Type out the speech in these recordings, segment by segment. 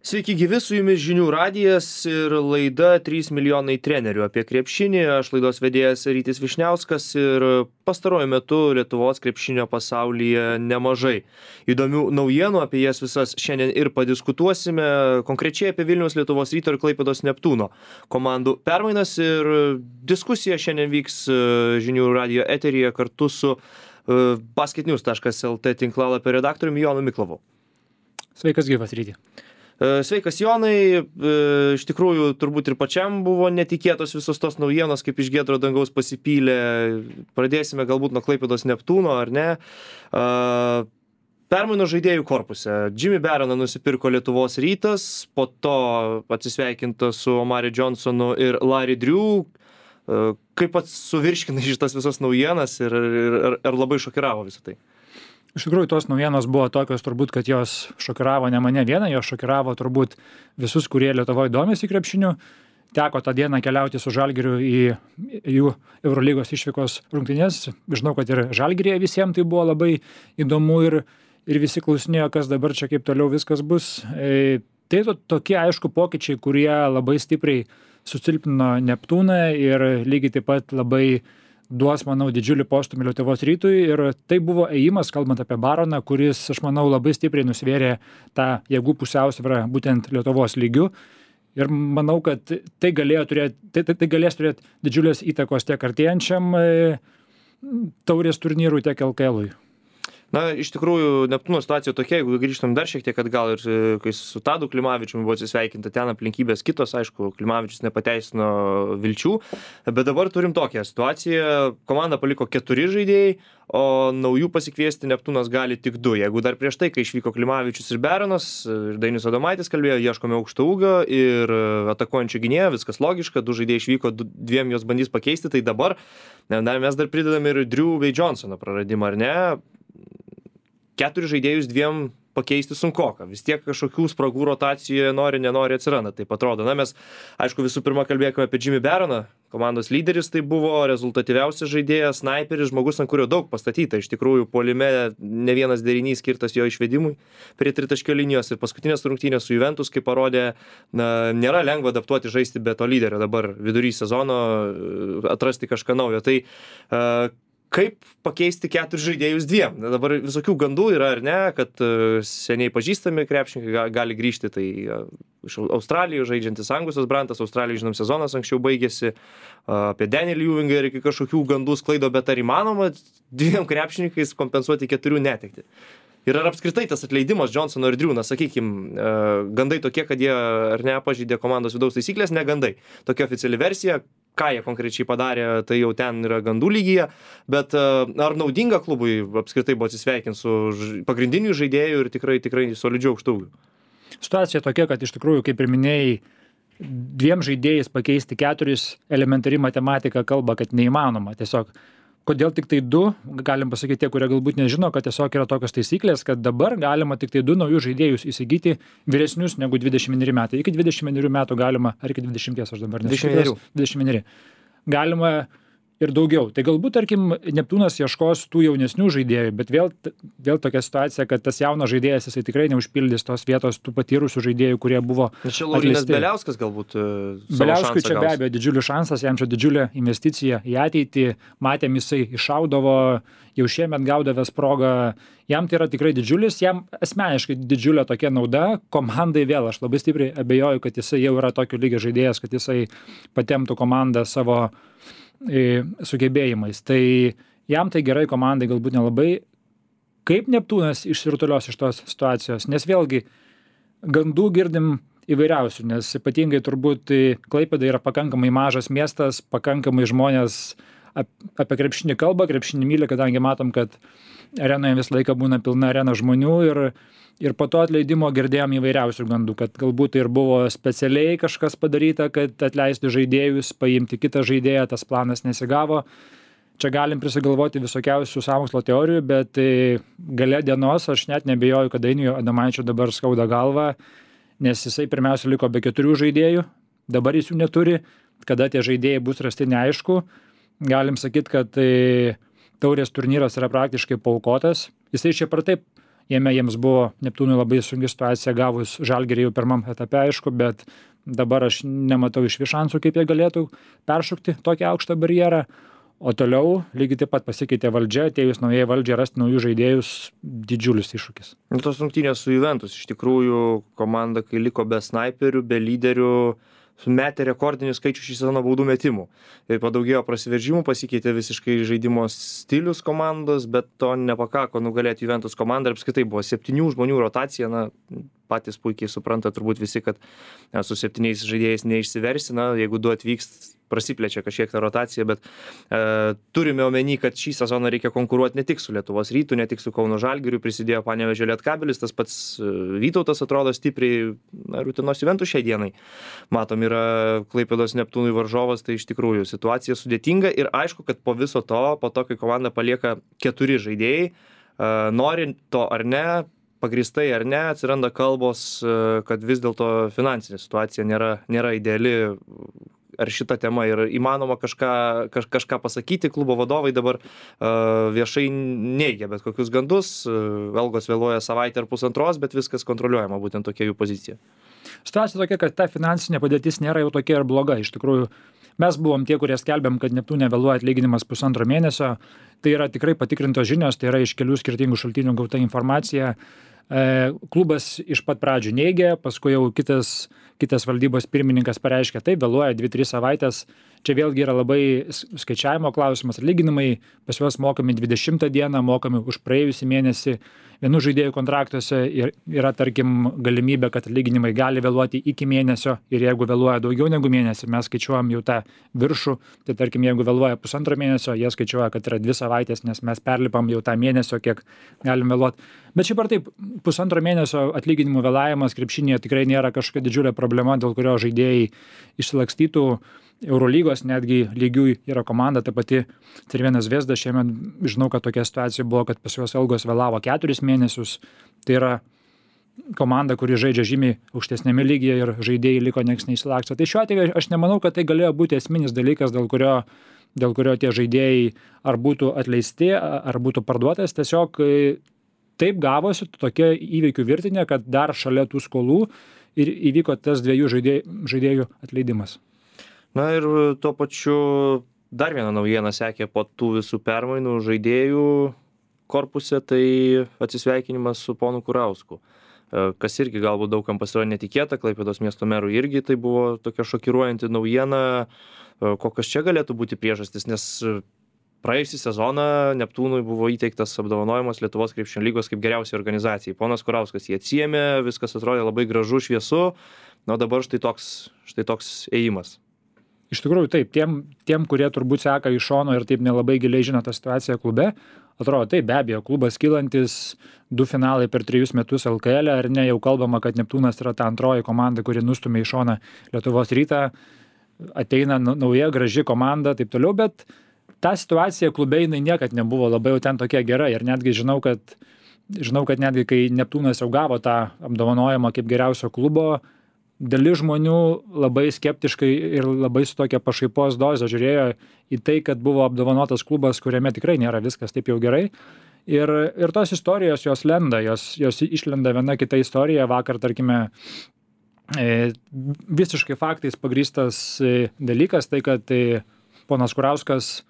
Sveiki gyvi, su jumis žinių radijas ir laida 3 milijonai trenerių apie krepšinį. Aš laidos vedėjas Rytis Vyšniauskas ir pastaruoju metu Lietuvos krepšinio pasaulyje nemažai įdomių naujienų, apie jas visas šiandien ir padiskutuosime, konkrečiai apie Vilniaus Lietuvos Ryto ir Klaipėdos Neptūno komandų permainas, ir diskusija šiandien vyks žinių radijo eteryje kartu su basketnews.lt tinklalapio redaktoriumi Jonu Miklovu. Sveikas gyvas, Ryti. Sveikas Jonai, iš tikrųjų turbūt ir pačiam buvo netikėtos visos tos naujienos, kaip iš giedro dangaus pasipylė. Pradėsime galbūt nuo Klaipėdos Neptūno, ar ne? Permainų žaidėjų korpuse. Jimmy Baroną nusipirko Lietuvos Rytas, po to atsisveikinta su Omari Johnsonu ir Larry Drew. Kaip pats suvirškinai šitas visas naujienas ir labai šokiravo visą tai? Iš tikrųjų, tos naujienos buvo tokios turbūt, kad jos šokiravo ne mane vieną, jos šokiravo turbūt visus, kurie Lietuvoje domisi krepšiniu. Teko tą dieną keliauti su Žalgiriu į jų Eurolygos išvykos rungtynes. Žinau, kad ir Žalgiryje visiems tai buvo labai įdomu ir visi klausinėjo, kas dabar čia kaip toliau viskas bus. Tai tokie aišku pokyčiai, kurie labai stipriai susilpnino Neptūną ir lygiai taip pat labai duos, manau, didžiulį postumį Lietuvos Rytui, ir tai buvo ėjimas, kalbant apie Baroną, kuris, aš manau, labai stipriai nusvėrė tą jėgų pusiausvyrą būtent Lietuvos lygių. Ir manau, kad tai galės turėti didžiulės įtakos tiek artėjančiam taurės turnyrui, tiek LKL-ui. Na, iš tikrųjų, Neptūno situacija tokia, jeigu grįžtam dar šiek tiek atgal, ir kai su Tadu Klimavičiumi buvo atsisveikinta, ten aplinkybės kitos, aišku, Klimavičius nepateisino vilčių, bet dabar turim tokią situaciją, komanda paliko 4 žaidėjai, o naujų pasikviesti Neptūnas gali tik 2. Jeigu dar prieš tai, kai išvyko Klimavičius ir Baronas, ir Dainius Adomaitis kalbėjo, ieškome aukšto ūgio ir atakuojančio gynėjo, viskas logiška, 2 žaidėjai išvyko, 2 jos bandys pakeisti, tai dabar mes dar pridedame ir Drew bei Johnsono praradimą, ar ne? 4 žaidėjus 2 pakeisti sunkoka. Vis tiek kažkokių spragų rotacijoje nenori atsiranda. Taip atrodo. Na, mes, aišku, visų pirma kalbėkime apie Jimmy Baroną. Komandos lyderis tai buvo, rezultatyviausias žaidėjas, snaiperis, žmogus, ant kurio daug pastatyta. Iš tikrųjų, puolime ne vienas derinys skirtas jo išvedimui prie tritaškio linijos, ir paskutinės rungtynės su Juventus, kaip parodė, nėra lengva adaptuoti žaisti be to lyderio. Dabar vidury sezono atrasti kažką naujo. Tai kaip pakeisti 4 žaidėjus 2? Dabar visokių gandų yra, ar ne, kad seniai pažįstami krepšininkai gali grįžti, tai iš Australijos žaidžiantis Angusas Brantas, Australijoje, žinom, sezonas anksčiau baigėsi, apie Danielį Ewingą ir iki kažkokių gandų sklaido, bet ar įmanoma 2 krepšininkais kompensuoti 4 netektį? Ir ar apskritai tas atleidimas Johnsono ir Drew, sakykime, gandai tokie, kad jie ar ne pažeidė komandos vidaus taisyklės, ne gandai. Tokia oficiali versija, ką jie konkrečiai padarė, tai jau ten yra gandų lygyje, bet ar naudinga klubui apskritai buvo atsisveikinti su pagrindiniu žaidėju ir tikrai solidžiu aukštų ūgiu? Situacija tokia, kad iš tikrųjų, kaip ir minėjai, 2 žaidėjais pakeisti 4, elementari matematika kalba, kad neįmanoma. Tiesiog kodėl tik tai 2, galim pasakyti tie, kurie galbūt nežino, kad tiesiog yra tokios taisyklės, kad dabar galima tik tai 2 naujus žaidėjus įsigyti vyresnius negu 21 metai. Iki 21 metų galima, ar iki 20, aš dabar nežinau. 21. Galima ir daugiau. Tai galbūt, tarkim, Neptūnas ieškos tų jaunesnių žaidėjų, bet vėl tokia situacija, kad tas jaunas žaidėjas, jisai tikrai neužpildys tos vietos tų patyrusių žaidėjų, kurie buvo atleisti. Čia Laurynas Beliauskas galbūt Beliauskui čia be abejo didžiulis šansas, jam čia didžiulė investicija į ateitį. Matėm, jisai iššaudavo, jau šiemet gaudavęs progą. Jam tai yra tikrai didžiulis, jam asmeniškai didžiulė tokia nauda. Komandai vėl, aš labai stipriai abejoju, kad jisai jau yra tokio lygio žaidėjas, kad jisai patemptų komandą savo sugebėjimais. Tai jam tai gerai, komandai galbūt nelabai. Kaip Neptūnas išsirutulios iš tos situacijos? Nes vėlgi gandų girdim įvairiausių, nes ypatingai turbūt Klaipėda yra pakankamai mažas miestas, pakankamai žmonės apie krepšinį kalba, krepšinį myli, kadangi matom, kad arenoje visą laiką būna pilna arena žmonių, ir po to atleidimo girdėjom įvairiausių gandų, kad galbūt ir buvo specialiai kažkas padaryta, kad atleisti žaidėjus, paimti kitą žaidėją, tas planas nesigavo. Čia galim prisigalvoti visokiausių sąmokslo teorijų, bet gale dienos aš net nebejoju, kad Dainiui Adomaičiui dabar skauda galva, nes jisai pirmiausia liko be 4 žaidėjų, dabar jis jų neturi, kada tie žaidėjai bus rasti neaišku. Galim sakyti, kad taurės turnyras yra praktiškai paaukotas. Jisai šiaip ar taip Jame jiems buvo Neptūnui labai sunki situacija gavus Žalgirį jau pirmam etape, aišku, bet dabar aš nematau išvis šansų, kaip jie galėtų peršokti tokį aukštą barjerą. O toliau lygiai taip pat pasikeitė valdžia, atėjus naujai valdžiai rasti naujus žaidėjus, didžiulis iššūkis. Tos rungtynės su Juventus, iš tikrųjų, komanda, kai liko be snaiperių, be lyderių, metė rekordinį skaičių šį sezoną baudų metimų. Ir padaugėjo prasiveržimų, pasikeitė visiškai žaidimo stilius komandos, bet to nepakako nugalėti Juventus komandą. Ir apskritai buvo 7 žmonių rotacija, na, patys puikiai supranta turbūt visi, kad su 7 žaidėjais neišsiversi, na, jeigu 2 atvyks, prasiplečia kažkiek tą rotaciją, bet turime omeny, kad šį sezoną reikia konkuruoti ne tik su Lietuvos Rytu, ne tik su Kauno Žalgiriu, prisidėjo Panevėžio Lietkabelis, tas pats Vytautas atrodo stipriai, na, Utenos Juventus šiai dienai. Matom, yra Klaipėdos Neptūnui varžovas, tai iš tikrųjų situacija sudėtinga ir aišku, kad po viso to, po to, kai komanda palieka 4 žaidėjai, norint to ar ne, pagrįstai ar ne, atsiranda kalbos, kad vis dėlto finansinė situacija nėra ideali. Ar šita tema yra įmanoma kažką pasakyti, klubo vadovai dabar viešai neigia bet kokius gandus, algos vėluoja savaitę ar pusantros, bet viskas kontroliuojama, būtent tokia jų pozicija. Situacija tokia, kad ta finansinė padėtis nėra jau tokia ir bloga. Iš tikrųjų, mes buvom tie, kurie skelbėm, kad Neptūne vėluoja atlyginimas 1,5 mėnesio. Tai yra tikrai patikrintos žinios, tai yra iš kelių skirtingų šaltinių gauta informacija. Klubas iš pat pradžių neigė, paskui jau kitas valdybos pirmininkas pareiškė, taip, vėluoja 2-3 savaitės. Čia vėlgi yra labai skaičiavimo klausimas. Atlyginimai pas juos mokami 20 dieną, mokami už praėjusį mėnesį. Vienų žaidėjų kontraktuose yra, tarkim, galimybė, kad atlyginimai gali vėluoti iki mėnesio ir jeigu vėluoja daugiau negu mėnesį, mes skaičiuojam jau tą viršų, tai tarkim, jeigu vėluoja 1,5 mėnesio, jie skaičiuoja, kad yra 2 savaitės, nes mes perlipam jau tą mėnesio, kiek galim vėluoti. Bet šiaip ar taip, 1,5 mėnesio atlyginimų vėlavimas krepšinėje tikrai nėra kažkokia didžiulė problema, dėl kurio žaidėjai išsilakstytų. Eurolygos netgi lygių yra komanda, ta pati Cervena Zvezda, šiemet žinau, kad tokia situacija buvo, kad pas juos algos vėlavo 4 mėnesius. Tai yra komanda, kuri žaidžia žymiai aukštesnėme lygyje ir žaidėjai liko nieks neįsilaksto. Tai šiuo atveju aš nemanau, kad tai galėjo būti esminis dalykas, dėl kurio tie žaidėjai ar būtų atleisti, ar būtų parduotas. Tiesiog taip gavosi tokia įvykių virtinė, kad dar šalia tų skolų ir įvyko tas 2 žaidėjų atleidimas. Na ir tuo pačiu dar viena naujiena sekė po tų visų permainų žaidėjų korpuse, tai atsisveikinimas su ponu Kurausku. Kas irgi galbūt daugam pasirodė netikėta, Klaipėdos miesto merui irgi tai buvo tokia šokiruojanti naujiena. Kokios čia galėtų būti priežastys, nes praėjusį sezoną Neptūnui buvo įteiktas apdovanojimas Lietuvos krepšinio lygos kaip geriausiai organizacijai. Ponas Kurauskas jį atsiėmė, viskas atrodė labai gražu, šviesu, na dabar štai toks ėjimas. Iš tikrųjų taip, tiem, kurie turbūt seka iš šono ir taip nelabai giliai žino tą situaciją klube, atrodo taip, be abejo, klubas kylantis, 2 finalai per 3 metus LKL, ar ne, jau kalbama, kad Neptūnas yra ta antroji komanda, kuri nustumė į šoną Lietuvos Rytą, ateina nauja, graži komanda, taip toliau, bet ta situacija klube jinai niekad nebuvo labai jau ten tokia gera ir netgi žinau, kad netgi kai Neptūnas jau gavo tą apdovanojimą kaip geriausio klubo, dalis žmonių labai skeptiškai ir labai su tokia pašaipos doze žiūrėjo į tai, kad buvo apdovanotas klubas, kuriame tikrai nėra viskas taip jau gerai. Ir tos istorijos jos lenda, jos išlenda viena kita istorija. Vakar, tarkime, visiškai faktais pagrįstas dalykas, tai kad ponas Kurauskas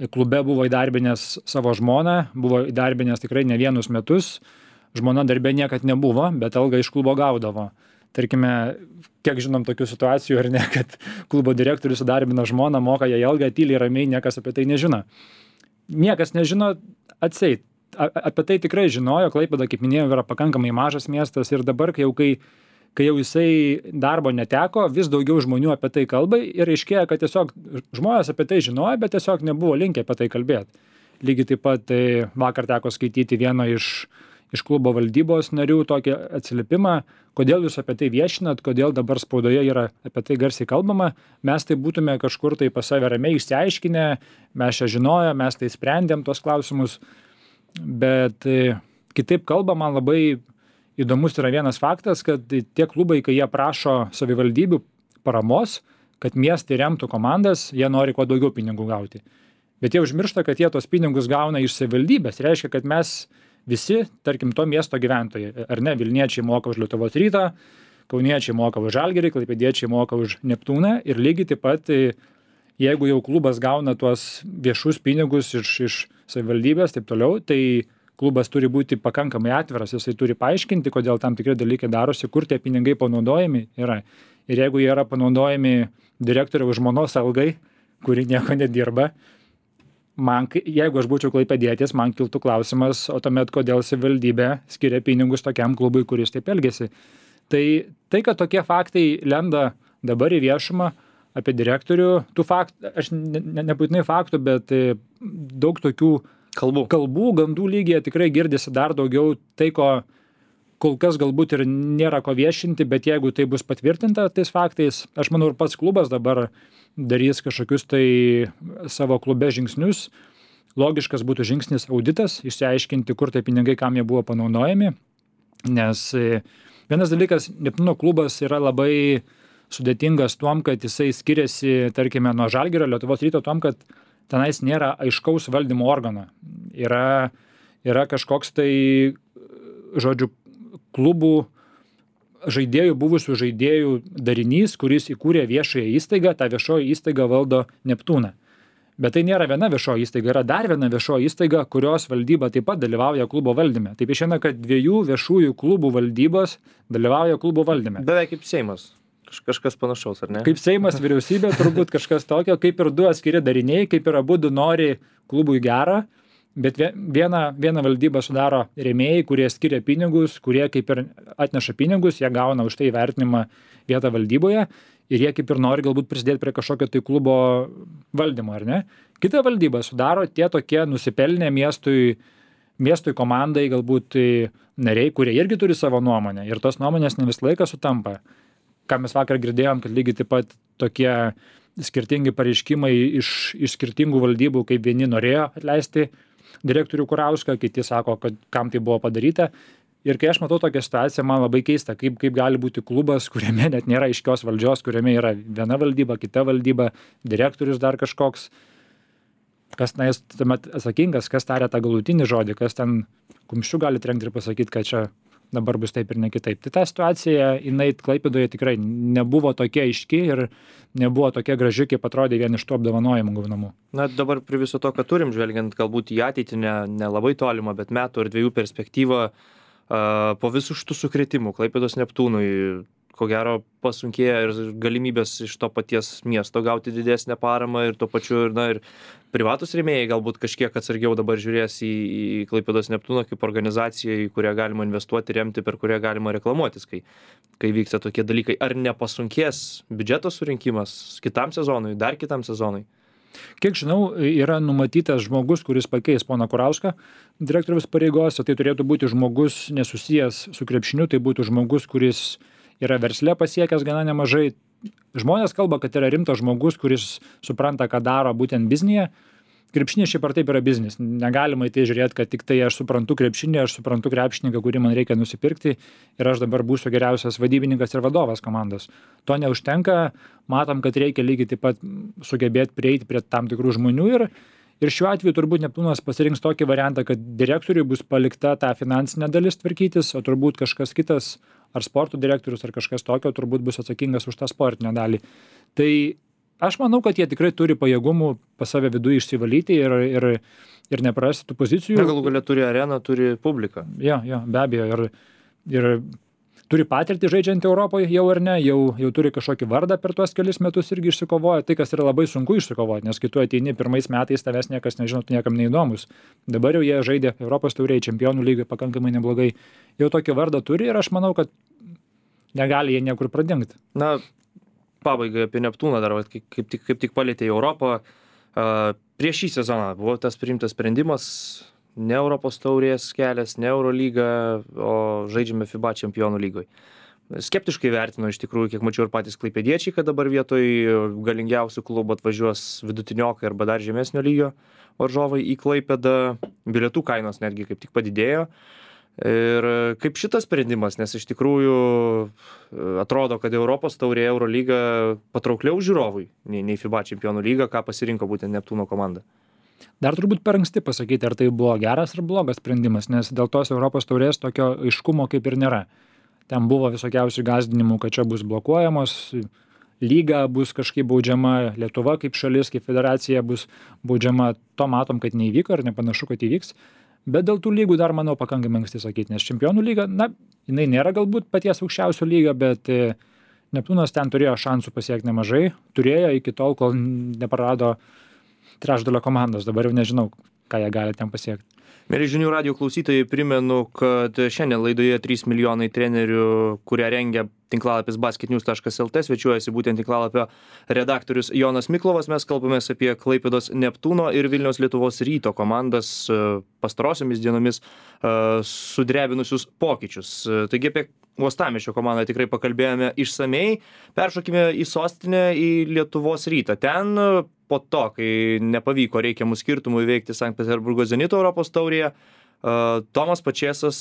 klube buvo įdarbinęs savo žmoną, buvo įdarbinęs tikrai ne vienus metus. Žmona darbe niekad nebuvo, bet algą iš klubo gaudavo. Tarkime, kiek žinom tokių situacijų, ar ne, kad klubo direktorius įdarbina žmoną, moka jai algą, tyliai ramiai, niekas apie tai nežino. Niekas nežino atseit. Apie tai tikrai žinojo, Klaipėda, kaip minėjau, yra pakankamai mažas miestas ir dabar, kai jau jisai darbo neteko, vis daugiau žmonių apie tai kalba ir aiškėja, kad tiesiog žmonės apie tai žinojo, bet tiesiog nebuvo linkę apie tai kalbėti. Lygiai taip pat vakar teko skaityti vieno iš klubo valdybos narių tokį atsiliepimą, kodėl jūs apie tai viešinat, kodėl dabar spaudoje yra apie tai garsiai kalbama, mes tai būtume kažkur tai pas save ramiai išsiaiškinę, mes čia žinojo, mes tai sprendėm tos klausimus, bet kitaip kalba, man labai įdomus yra vienas faktas, kad tie klubai, kai jie prašo savivaldybių paramos, kad miestai remtų komandas, jie nori kuo daugiau pinigų gauti. Bet jie užmiršta, kad jie tos pinigus gauna iš savivaldybės, reiškia, kad mes visi, tarkim, to miesto gyventojai, ar ne, Vilniečiai moka už Lietuvos Rytą, Kauniečiai moka už Žalgirį, Klaipėdiečiai moka už Neptūną ir lygiai taip pat, jeigu jau klubas gauna tuos viešus pinigus iš savivaldybės, taip toliau, tai klubas turi būti pakankamai atviras, jisai turi paaiškinti, kodėl tam tikri dalykai darosi, kur tie pinigai panaudojami yra. Ir jeigu jie yra panaudojami direktoriaus žmonos algai, kuri nieko nedirba, jeigu aš būčiau klaipėdietis, man kiltų klausimas, o tuomet kodėl savivaldybė skiria pinigus tokiam klubui, kuris taip elgesi. Tai, kad tokie faktai lenda dabar į viešumą apie direktorių, tų faktų, aš nebūtinai faktų, bet daug tokių kalbų, gandų lygyje tikrai girdisi dar daugiau tai, ko kol kas galbūt ir nėra ko viešinti, bet jeigu tai bus patvirtinta tais faktais, aš manau ir pats klubas dabar darys kažkokius tai savo klube žingsnius. Logiškas būtų žingsnis auditas, išsiaiškinti, kur tai pinigai, kam jie buvo panaudojami, nes vienas dalykas, Neptūno klubas yra labai sudėtingas tuom, kad jisai skiriasi, tarkime, nuo Žalgirio, Lietuvos Ryto tuom, kad tenais nėra aiškaus valdymo organo. Yra kažkoks tai, žodžiu, klubų žaidėjų, buvusių žaidėjų darinys, kuris įkūrė viešąją įstaigą, tą viešoji įstaiga valdo Neptūną. Bet tai nėra viena viešoji įstaiga, yra dar viena viešoji įstaiga, kurios valdyba taip pat dalyvauja klubo valdyme. Taip išeina, kad 2 viešųjų klubų valdybos dalyvauja klubo valdyme. Beveik kaip Seimas. Kažkas panašaus, ar ne? Kaip Seimas, vyriausybė, turbūt kažkas tokio, kaip ir 2 atskiri dariniai, kaip ir abudu nori klubui gerą, bet vieną valdybą sudaro rėmėjai, kurie skiria pinigus, kurie kaip ir atneša pinigus, jie gauna už tai įvertinimą vietą valdyboje ir jie kaip ir nori galbūt prisidėti prie kažkokio tai klubo valdymo, ar ne? Kita valdyba sudaro tie tokie nusipelnę miestui komandai galbūt nariai, kurie irgi turi savo nuomonę ir tos nuomonės ne visą laiką sutampa. Ką mes vakar girdėjom, kad lygiai taip pat tokie skirtingi pareiškimai iš skirtingų valdybų, kaip vieni norėjo atleisti direktorių Kurauską, kiti sako, kad kam tai buvo padaryta. Ir kai aš matau tokią situaciją, man labai keista, kaip gali būti klubas, kuriame net nėra aiškios valdžios, kuriame yra viena valdyba, kita valdyba, direktorius dar kažkoks, kas tuomet atsakingas, kas taria tą galutinį žodį, kas ten kumščiu gali trenkti ir pasakyti, kad čia dabar bus taip ir ne kitaip. Tai ta situacija, jinai Klaipėdoje tikrai nebuvo tokia aiški ir nebuvo tokia graži, kaip atrodė vien iš tų apdovanojimų gaunamų. Na, dabar prie viso to, ką turim, žvelgiant galbūt į ateitį, ne labai tolimą, bet metų ar 2 perspektyvą, po visų šitų sukrėtimų Klaipėdos Neptūnui, ko gero pasunkėja ir galimybės iš to paties miesto gauti didesnę paramą ir tuo pačiu ir privatus rėmėjai galbūt kažkiek atsargiau dabar žiūrės į Klaipėdos Neptūną kaip organizaciją, į kurią galima investuoti, remti, per kurią galima reklamuotis, kai vyksta tokie dalykai. Ar nepasunkės biudžeto surinkimas kitam sezonui, dar kitam sezonui? Kiek žinau, yra numatytas žmogus, kuris pakeis poną Kurauską direktoriaus pareigose. Tai turėtų būti žmogus nesusijęs su krepšiniu, tai būtų žmogus, kuris yra versle pasiekęs gana nemažai. Žmonės kalba, kad yra rimtas žmogus, kuris supranta, ką daro būtent biznyje. Krepšinis šiaip ar taip yra biznis. Negalima į tai žiūrėti, kad tik tai aš suprantu krepšinį, aš suprantu krepšininką, kurį man reikia nusipirkti ir aš dabar būsiu geriausias vadybininkas ir vadovas komandos. To neužtenka. Matom, kad reikia lygiai taip pat sugebėti prieiti prie tam tikrų žmonių ir šiuo atveju turbūt Neptūnas pasirinks tokį variantą, kad direktoriui bus palikta ta finansinė dalis tvarkytis, o turbūt kažkas kitas, ar sporto direktorius, ar kažkas tokio, turbūt bus atsakingas už tą sportinę dalį. Tai aš manau, kad jie tikrai turi pajėgumų pas save viduje išsivalyti ir neprarasti tų pozicijų. Na, galų galia turi areną, turi publiką. Jo, be abejo. Ir turi patirtį žaidžiant Europoje jau ar ne, jau turi kažkokį vardą per tuos kelis metus irgi išsikovoja. Tai, kas yra labai sunku išsikovoti, nes kai tu ateini pirmais metais, tavęs niekas nežino, tu niekam neįdomus. Dabar jau jie žaidė Europos taurėje, čempionų lygoje pakankamai neblogai. Jau tokį vardą turi ir aš manau, kad negali jie niekur pradingti. Na, pabaigai apie Neptūną dar, kaip tik palietė Europą. Prieš šį sezoną buvo tas priimtas sprendimas, ne Europos taurės kelias, ne Eurolyga, o žaidžiame FIBA čempionų lygoje. Skeptiškai vertino iš tikrųjų, kiek mačiau ir patys klaipėdiečiai, kad dabar vietoj galingiausių klubų atvažiuos vidutiniokai arba dar žemesnio lygio varžovai į Klaipėdą. Bilietų kainos netgi kaip tik padidėjo. Ir kaip šitas sprendimas, nes iš tikrųjų atrodo, kad Europos taurė Eurolyga patraukliau žiūrovui nei FIBA čempionų lyga, ką pasirinko būtent Neptūno komanda. Dar turbūt per anksti pasakyti, ar tai buvo geras ar blogas sprendimas, nes dėl tos Europos taurės tokio aiškumo kaip ir nėra. Ten buvo visokiausių gąsdinimų, kad čia bus blokuojamos, lyga bus kažkaip baudžiama, Lietuva kaip šalis, kaip federacija bus baudžiama. To matom, kad neįvyko ir nepanašu, kad įvyks. Bet dėl tų lygų dar, manau, pakankamai anksti sakyti, nes čempionų lyga, na, jinai nėra galbūt paties aukščiausio lygio, bet Neptūnas ten turėjo šansų pasiekti nemažai. Turėjo iki tol, kol neprarado trečdalio komandos, dabar jau nežinau, ką jie gali ten pasiekti. Mėly žinių radijo klausytojai, primenu, kad šiandien laidoje 3 milijonai trenerių, kurią rengia tinklalapis basketnews.lt, svečiuojasi būtent tinklalapio redaktorius Jonas Miklovas. Mes kalbamės apie Klaipėdos Neptūno ir Vilniaus Lietuvos Ryto komandas pastarosiomis dienomis sudrebinusius pokyčius. Taigi apie Uostamiesčio komandą tikrai pakalbėjome išsamei. Peršokime į sostinę, į Lietuvos Rytą. Ten po to, kai nepavyko reikiamų skirtumų įveikti Sankt Peterburgo Zenito Europos taurėje, Tomas Pačėsas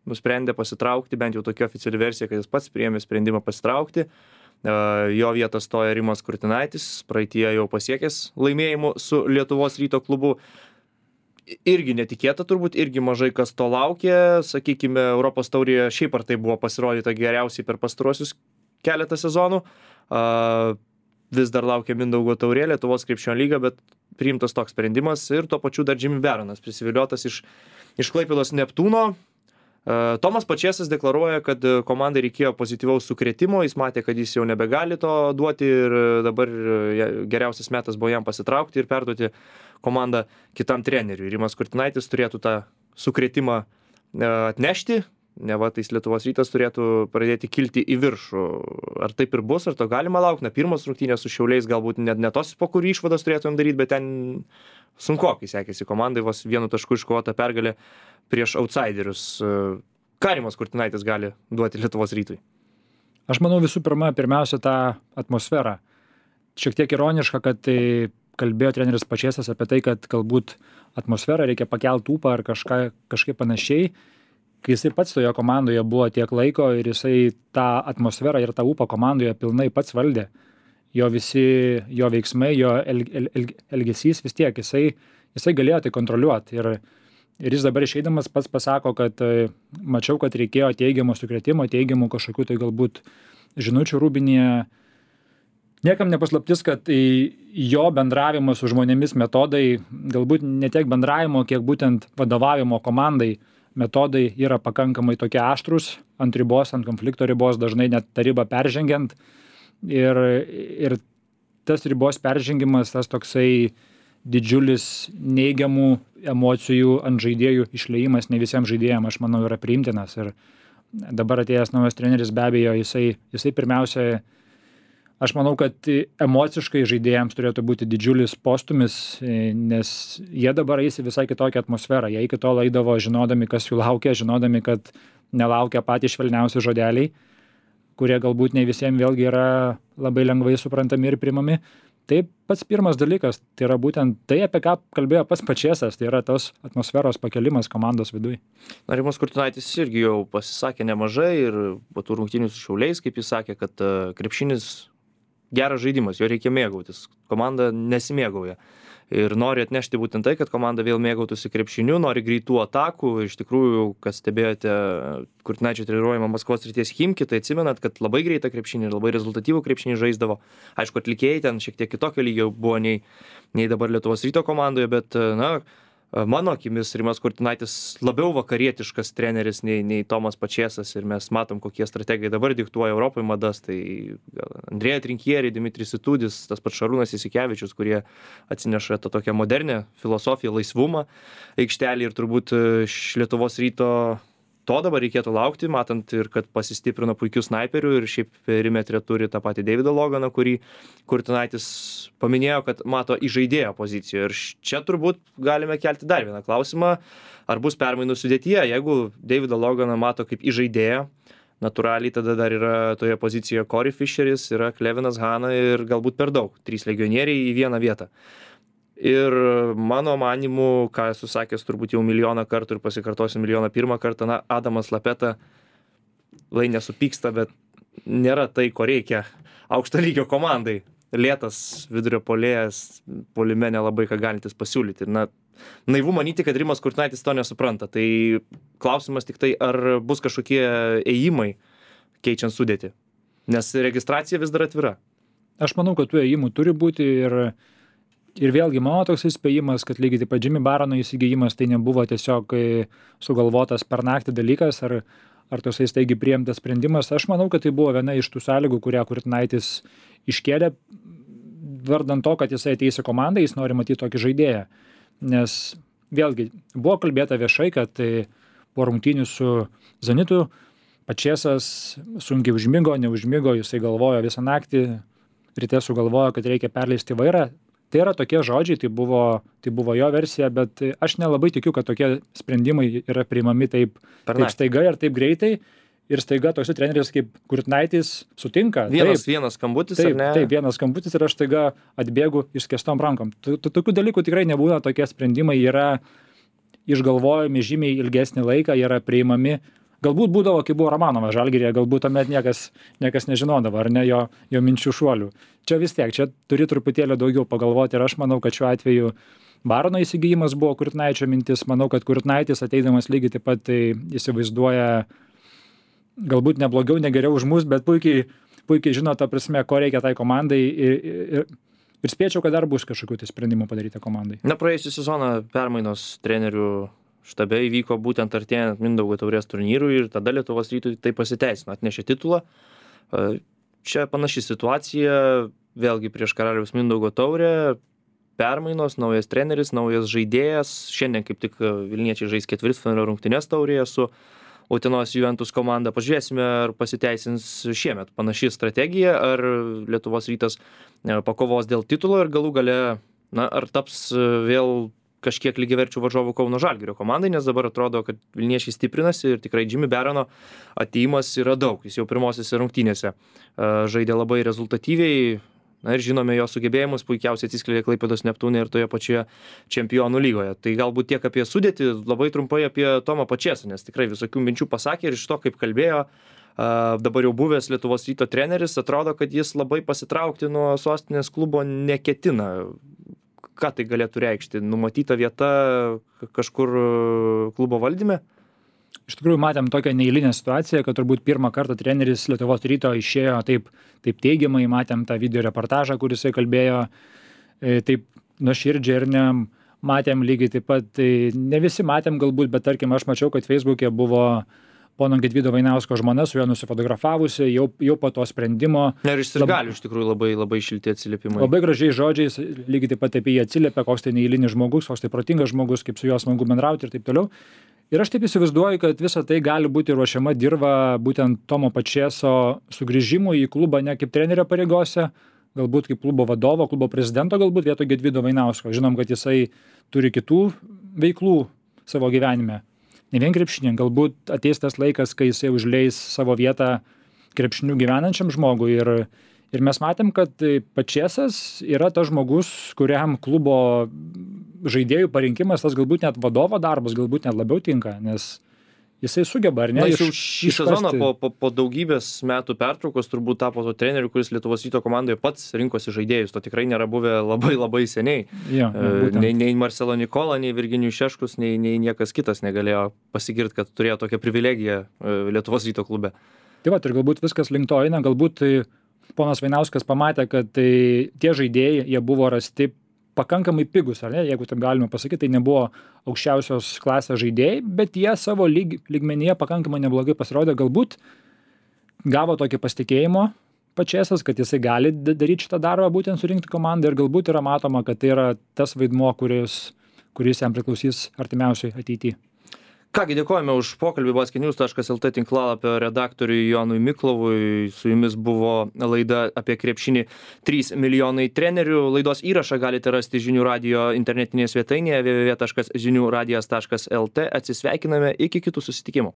nusprendė pasitraukti, bent jau tokia oficiali versija, kad jis pats priėmė sprendimą pasitraukti. Jo vietą stoja Rimas Kurtinaitis, praeityje jau pasiekęs laimėjimų su Lietuvos Ryto klubu. Irgi netikėta turbūt, irgi mažai kas to laukė. Sakykime, Europos taurėje šiaip ar tai buvo pasirodyta geriausiai per pastaruosius keletą sezonų. Vis dar laukia Mindaugo taurė, Lietuvos krepšinio lyga, bet priimtas toks sprendimas ir tuo pačiu dar Jimmy Baronas prisiviliotas iš Klaipėdos Neptūno. Tomas Pačėsas deklaruoja, kad komandai reikėjo pozityvaus sukrėtimo, jis matė, kad jis jau nebegali to duoti ir dabar geriausias metas buvo jam pasitraukti ir perduoti komandą kitam treneriui. Rimas Kurtinaitis turėtų tą sukrėtimą atnešti, neva tais Lietuvos Rytas turėtų pradėti kilti į viršų. Ar taip ir bus, ar to galima laukti? Na, pirmos rungtynės su Šiauliais galbūt net ne tos, po kurių išvadas turėtumėm daryti, bet ten sunkokai sekėsi komandai, vos 1 tašku iškovota pergalė prieš outsiderius. Ką Rimas Kurtinaitis gali duoti Lietuvos Rytui? Aš manau pirmiausia tą atmosferą. Šiek tiek ironiška, kad tai kalbėjo treneris Pačėsas apie tai, kad galbūt atmosferą reikia pakelti ūpą ar kažkaip panašiai. Kai jisai pats toje komandoje buvo tiek laiko ir jisai tą atmosferą ir tą ūpą komandoje pilnai pats valdė. Jo veiksmai, jo elgesys vis tiek, jisai galėjo tai kontroliuoti. Ir jis dabar išeidamas pats pasako, kad mačiau, kad reikėjo teigiamo sukrėtimo, teigiamų kažkokių tai galbūt žinučių rūbinėje. Niekam nepaslaptis, kad jo bendravimo su žmonėmis metodai, galbūt ne tiek bendravimo, kiek būtent vadovavimo komandai metodai yra pakankamai tokie aštrus, ant ribos, ant konflikto ribos, dažnai net tą ribą peržengiant. Ir tas ribos peržengimas, tas toksai didžiulis neigiamų emocijų ant žaidėjų išliejimas ne visiems žaidėjams, aš manau, yra priimtinas. Ir dabar atėjęs naujas treneris, be abejo, jisai pirmiausia, aš manau, kad emociškai žaidėjams turėtų būti didžiulis postumis, nes jie dabar eis į visai kitokią atmosferą. Jie iki tol eidavo žinodami, kas jų laukia, žinodami, kad nelaukia patys švelniausi žodeliai, kurie galbūt ne visiems vėlgi yra labai lengvai suprantami ir primami. Tai pats pirmas dalykas, tai yra būtent tai, apie ką kalbėjo pats Pačėsas, tai yra tos atmosferos pakelimas komandos viduje. Rimas Kurtinaitis irgi jau pasisakė nemažai ir po tų rungtynių su Šiauliais, kaip jis sakė, kad krepšinis geras žaidimas, jo reikia mėgautis. Komanda nesimėgauja. Ir nori atnešti būtent tai, kad komanda vėl mėgautųsi krepšiniu, nori greitų atakų. Iš tikrųjų, kas stebėjote Kurtinaičio treniruojamą Maskvos srities Chimki, tai atsimenat, kad labai greitą krepšinį ir labai rezultatyvų krepšinį žaisdavo. Aišku, atlikėjai ten šiek tiek kitokio lygio buvo nei dabar Lietuvos Ryto komandoje, bet mano akimis Rimas Kurtinaitis labiau vakarietiškas treneris nei Tomas Pačėsas ir mes matom, kokie strategai dabar diktuoja Europoje madas. Tai Andrėja Trinkieri, Dimitris Situdis, tas pats Šarūnas Jasikevičius, kurie atsineša tą tokią modernę filosofiją, laisvumą aikštelį ir turbūt iš Lietuvos Ryto to dabar reikėtų laukti, matant ir kad pasistiprino puikių snaiperių ir šiaip perimetre turi tą patį Davidą Loganą, kurį Kurtinaitis paminėjo, kad mato įžaidėjo pozicijoje. Ir čia turbūt galime kelti dar vieną klausimą, ar bus permainų sudėtyje. Jeigu Davidą Loganą mato kaip įžaidėją, natūraliai tada dar yra toje pozicijoje Corey Fisheris, yra Klevinas Hana ir galbūt per daug. 3 legionieriai į vieną vietą. Ir mano manimu, ką esu sakęs turbūt jau milijoną kartų ir pasikartosiu milijoną pirmą kartą, Adamas Lapeta, lai nesupyksta, bet nėra tai, ko reikia aukšto lygio komandai. lėtas vidurio puolėjas, puolime nelabai ką galintis pasiūlyti. Na, naivu manyti, kad Rimas Kurtinaitis to nesupranta. Tai klausimas tik tai, ar bus kažkokie ėjimai keičiant sudėtį. Nes registracija vis dar atvira. Aš manau, kad tų ėjimų turi būti ir vėlgi mano toks įspėjimas, kad lygiai taip pat Jimmy Barono įsigijimas tai nebuvo tiesiog sugalvotas per naktį dalykas ar toksai staigiai priimtas sprendimas. Aš manau, kad tai buvo viena iš tų sąlygų, kurią Kurtinaitis iškėlė vardan to, kad jisai ateis į komandą, jis nori matyti tokį žaidėją. Nes vėlgi buvo kalbėta viešai, kad po rungtynių su Zenitu Pačėsas sunkiai užmigo, neužmigo, jisai galvojo visą naktį, ryte sugalvojo, kad reikia perleisti vairą. Tai yra tokie žodžiai, tai buvo jo versija, bet aš nelabai tikiu, kad tokie sprendimai yra priimami taip staiga ir taip greitai. Ir staiga toks treneris kaip Kurtinaitis sutinka. Vienas skambutis, ar ne? Taip, vienas skambutis ir aš staiga atbėgu išskėstom rankom. Tokių dalykų tikrai nebūna, tokie sprendimai yra išgalvojami žymiai ilgesnį laiką, yra priimami. Galbūt būdavo, kai buvo Romanovas Žalgiryje, galbūt tuomet niekas nežinodavo, ar ne jo minčių šuolių. Čia vis tiek, čia turi truputėlį daugiau pagalvoti ir aš manau, kad šiuo atveju Barono įsigijimas buvo Kurtinaičio mintis. Manau, kad Kurtinaitis ateidamas lygiai taip pat tai įsivaizduoja galbūt ne blogiau, ne geriau už mus, bet puikiai žino ta prasme, ko reikia tai komandai ir spėčiau, kad dar bus kažkokių tai sprendimų padaryti komandai. Na, praėjusią sezoną permainos trenerių štabe įvyko būtent artėjant Mindaugo taurės turnyrui ir tada Lietuvos Rytui tai pasiteisino, atnešė titulą. Čia panaši situacija, vėlgi prieš Karaliaus Mindaugo taurę, permainos, naujas treneris, naujas žaidėjas. Šiandien kaip tik Vilniečiai žais ketvirtfinalio rungtynes taurėje su Utenos Juventus komanda. Pažiūrėsime, ar pasiteisins šiemet panaši strategija, ar Lietuvos Rytas pakovos dėl titulo ir galų gale, ar taps vėl kažkiek lygiaverčių varžovų Kauno Žalgirio komandai, nes dabar atrodo, kad Vilniečiai stiprinasi ir tikrai Jimmy Barono atėjimas yra daug. Jis jau pirmosiose rungtynėse žaidė labai rezultatyviai. Na ir žinome jo sugebėjimus, puikiausiai atsiskleidė Klaipėdos Neptūne ir toje pačioje Čempionų lygoje. Tai galbūt tiek apie sudėtį, labai trumpai apie Tomą Pačėsą, nes tikrai visokių minčių pasakė ir iš to, kaip kalbėjo dabar jau buvęs Lietuvos Ryto treneris, atrodo, kad jis labai pasitraukti nuo sostinės klubo neketina. Ką tai galėtų reikšti? Numatyta vieta kažkur klubo valdyme? Iš tikrųjų, matėm tokią neeilinę situaciją, kad turbūt pirmą kartą treneris Lietuvos Ryto išėjo taip teigiamai, matėm tą video reportažą, kur jisai kalbėjo taip nuoširdžiai ir matėm lygiai taip pat, ne visi matėm galbūt, bet tarkim aš mačiau, kad Facebook'e buvo pono Gedvydo Vainausko žmona su juo nusifotografavusi, jau po to sprendimo. Ir iš sirgalių iš tikrųjų labai šilti atsiliepimai. Labai gražiai žodžiais, lygiai taip pat apie jį atsiliepia, koks tai neeilinis žmogus, koks tai protingas žmogus, kaip su juo smagu bendrauti ir taip toliau. Ir aš taip įsivaizduoju, kad visa tai gali būti ruošiama dirba būtent Tomo Pačėso sugrįžimui į klubą ne kaip trenerio pareigose, galbūt kaip klubo vadovo, klubo prezidento, galbūt vietoj Gedvydo Vainausko. Žinom, kad jisai turi kitų veiklų savo gyvenime. Ne vien krepšinį, galbūt ateis tas laikas, kai jisai užleis savo vietą krepšiniu gyvenančiam žmogui ir mes matėm, kad Pačėsas yra tas žmogus, kuriam klubo žaidėjų parinkimas, tas galbūt net vadovo darbas, galbūt net labiau tinka, nes jisai sugeba, ar ne? Na, jis jau šį sezoną po daugybės metų pertraukos turbūt tapo to treneriu, kuris Lietuvos Ryto komandoje pats rinkosi žaidėjus. To tikrai nėra buvę labai seniai. Ja, nei Marcelo Nikola, nei Virginijus Šeškus, nei niekas kitas negalėjo pasigirti, kad turėjo tokią privilegiją Lietuvos Ryto klube. Tai va, ir galbūt viskas link to eina, galbūt ponas Vainauskas pamatė, kad tie žaidėjai, jie buvo rasti pakankamai pigus, ar ne, jeigu taip galime pasakyti, tai nebuvo aukščiausios klasės žaidėjai, bet jie savo lygmenyje pakankamai neblogai pasirodė, galbūt gavo tokį pasitikėjimo Pačėsas, kad jisai gali daryti šitą darbą, būtent surinkti komandą ir galbūt yra matoma, kad tai yra tas vaidmuo, kuris jam priklausys artimiausiai ateityje. Kągi, dėkojame už pokalbį basketnews.lt tinklalapio redaktoriui Jonui Miklovui. Su jumis buvo laida apie krepšinį 3 milijonai trenerių. Laidos įrašą galite rasti Žinių radijo internetinėje svetainėje www.žiniuradijas.lt. Atsisveikiname iki kitų susitikimų.